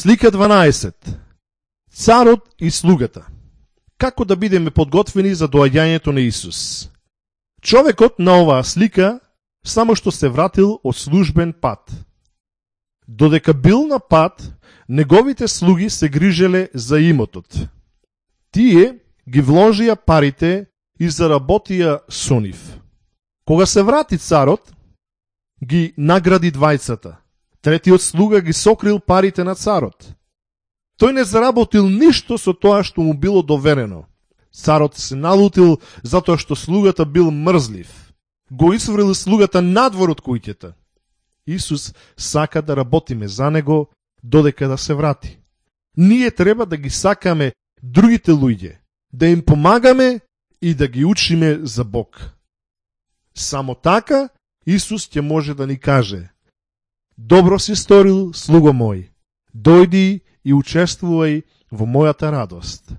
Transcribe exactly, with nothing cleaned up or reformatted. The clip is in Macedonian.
Слика дванаесет. Царот и слугата. Како да бидеме подготвени за доаѓањето на Исус? Човекот на оваа слика само што се вратил од службен пат. Додека бил на пат, неговите слуги се грижеле за имотот. Тие ги вложија парите и заработија со нив. Кога се врати царот, ги награди двајцата. Третиот слуга ги сокрил парите на царот. Тој не заработил ништо со тоа што му било доверено. Царот се налутил затоа што слугата бил мрзлив. Го исфрли слугата надвор од куќата. Исус сака да работиме за него додека да се врати. Ние треба да ги сакаме другите луѓе, да им помагаме и да ги учиме за Бог. Само така Исус ќе може да ни каже: добро си сторил, слуго мој, дојди и учествувај во мојата радост.